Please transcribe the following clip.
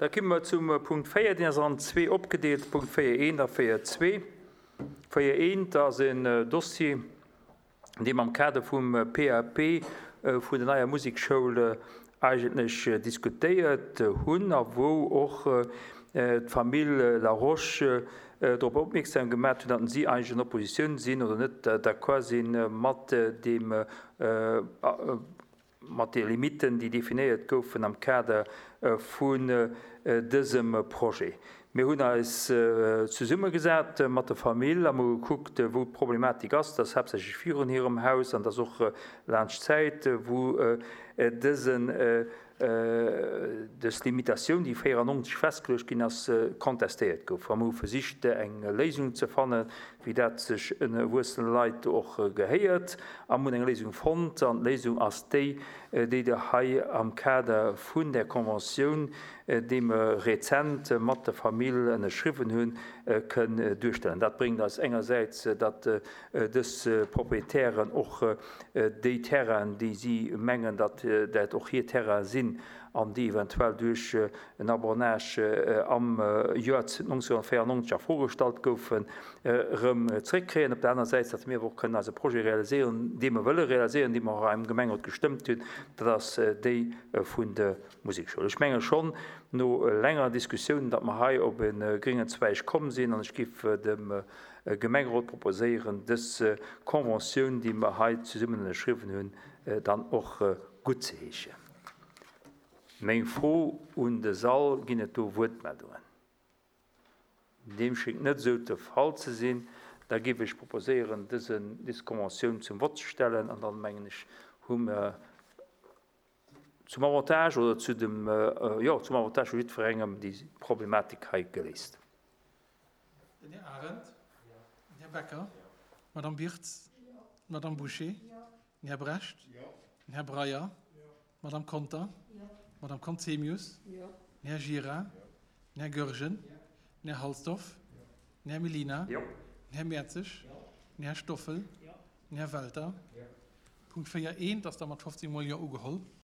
Da komme mer zum Punkt 4, deen ass an zwee opgedeelt, Punkt 4.1 a 4.2. 4.1 ass en Dossier, dee mer am Kader vum PAP vun der neier Musekschoul eigentlech diskutéiert hunn a wou och d'Famill Laroche drop opmierksam gemaat hunn, datt si eigentlech an Oppositioun sinn oder net d'accord si mat deem mat de Limiten, déi definéiert goufen am Kader vun dësem Projet. Mir hunn eis zesummegesat mat der Famill a mol gekuckt, wou d'Problematik ass. Dat ass haaptsächlech virun hirem Haus an dat ass och laanscht d'Zäit, wou dësen dës Limitatioun, déi 94 festgeluecht ginn ass, contestéiert gouf. A mer hu versicht, eng Léisung ze fannen, wéi dat sech erwuessene Leit och gehéiert, a mer hunn eng Léisung fonnt. An d'Léisung ass déi, déi Der hei am Kader vun där Conventioun, déi mer rezent mat der Famill ënnerschriwwen hunn, kënn duerstellen. Dat bréngt eis engersäits, datt dës Proprietären och déi Terrainen, déi si mengen, datt dat och hir Terrainen sinn an déi eventuell duerch en Abonnage am Joer 1994 a Fro gestallt goufen, erëm zréckkréien. Op der aner Säit, datt mir awer och kënnen eise Projet realiséieren, dee mer wëlle realiséieren, dee mer och am Gemengerot gestëmmt hunn, dat ass déi vun der Musekschoul. Ech menge schonn no längerer Diskussioun, datt mer hei op e gréngen Zweig komm sinn an ech géif dem Gemengerot proposéieren, dës Conventioun, déi mer hei zesummen ënnerschriwwen hunn, dann och guttzeheeschen. Meng Fro un de Sall, Ginn et do Wuertmeldungen? Deem schéngt net esou de Fall ze sinn. Da géif ech proposéieren, dëse, dës Conventioun zum Vott ze stellen an dann, mengen ech, hu mer zum Avantage oder zu dem, jo, zum Avantage vu jiddwerengem déi Problematik hei geléist. Den Här Arendt. Den Här Becker. D'Madame Birtz. D'Madame Bouché. Den Här Brecht. Den Här Breyer. D'Madame Conter. D'Madame Conzemius. Den Här Gira. Den Här Goergen. Den Här Halsdorf. Den Här Mellina. Den Här Mertzig. Den Här Stoffel. Den Här Welter. Punkt 4 eent ass da mat 15 mol Jo ugeholl.